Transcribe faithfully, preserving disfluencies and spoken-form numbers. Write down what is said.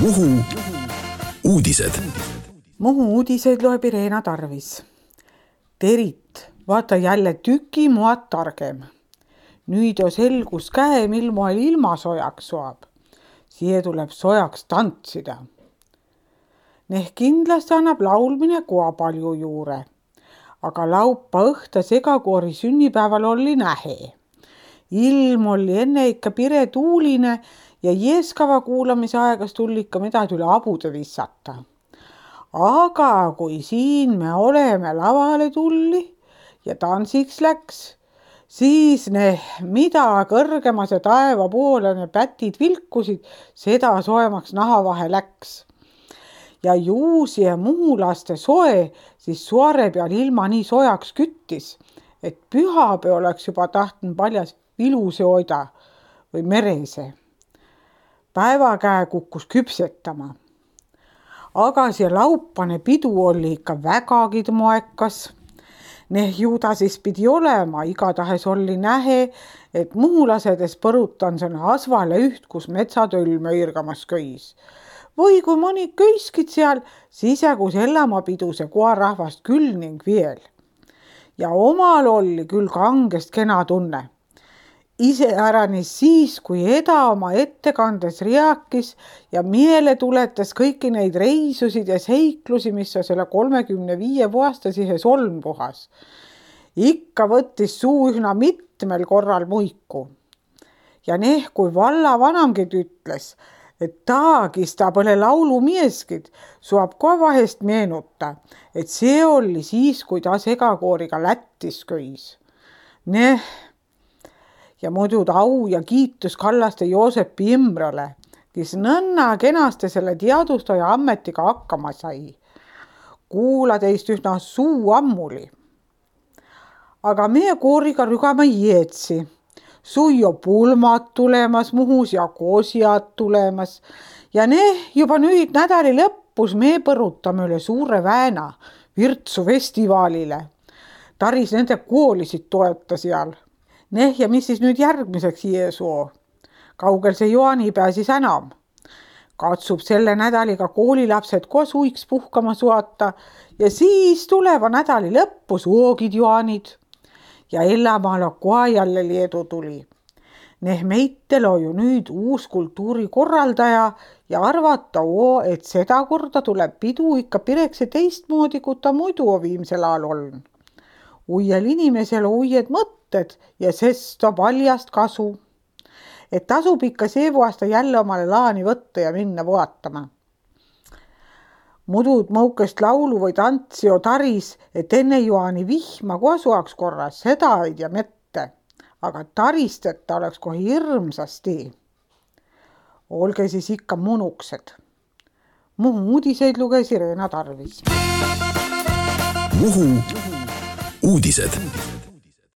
Muhu uudised. Muhu uudiseid loeb Irena Tarvis. Terit, vaata jälle tüki muad targem. Nüüd jo selgus käe, mil moel ilma sojaks soab. Siia tuleb sojaks tantsida. Neh kindlasti annab laulmine koa palju juure. Aga laupa õhta segakoori sünnipäeval oli nähe. Ilm oli enne ikka pire tuuline ja jeeskava kuulamise aegas tuli ikka midagi üle abude vissata. Aga kui siin me oleme lavale tulli ja tantsiks läks, siis ne mida kõrgemas ja taeva poole ne pätid vilkusid, seda soemaks nahavahe läks. Ja juusi ja muhulaste soe siis suare peal ilma nii sojaks küttis, et pühapäev oleks juba tahtnud paljas viluse oida või merese. Päevakäe kukkus küpsetama. Aga see laupane pidu oli ikka vägagi moekas. Neh juuda siis pidi olema, igatahes oli nähe, et muhulasedes põrutan sõna asvale üht, kus metsatöll möirgamas köis. Või kui mõni köiskid seal, siis jagus ellamapidu see koarahvast küll ning veel. Ja omal oli küll kangest kena tunne. Ise äranis siis, kui Eda oma ettekandes riakis ja miele tuletas kõiki neid reisusid ja seiklusi, mis on selle kolmekümne viie aastasihe solmpuhas. Ikka võttis suu ühna mitmel korral muiku. Ja neh, kui valla vanamgid ütles, et taagis ta põle laulumieskid, suab ka vahest meenuta, et see oli siis, kui ta segakooriga Lättis köis. Neh, ja muidu au ja kiitus Kallaste Joosepi Imrale, kes nõnna kenasti selle teadustaja ammetiga hakkama sai. Kuula teist ühna suu ammuli. Aga meie kooriga rügama jeetsi. Suio pulmad tulemas Muhus ja kosiad tulemas. Ja ne juba nüüd nädali lõppus me põrutame üle suure vääna Virtsu festivaalile. Taris nende koolisid toeta seal. Neh, ja mis siis nüüd järgmiseks Jeesoo? Kaugel see joanipäev siis enam? Katsub selle nädaliga koolilapsed koos uiks puhkama suata ja siis tuleva nädali lõppu soogid joanid. Ja Ellamaal koa jälle Leedu tuli. Neh meitel on ju nüüd uus kultuurikorraldaja ja arvata oo, et seda korda tuleb pidu ikka pirekse teistmoodi, kui ta muidu viimsel ajal on. Uiel inimesel uied mõtted ja sest on paljast kasu. Et tasub ikka see aasta jälle omale laani võtta ja minna vaatama. Mudud mõukest laulu või tantsi o taris, et enne joani vihma koasuaks korras, seda ei tea mitte. Aga taristeta oleks kohe hirmsasti. Olge siis ikka munuksed. Muhu uudiseid luges Irena Tarvis. Muhu uudised.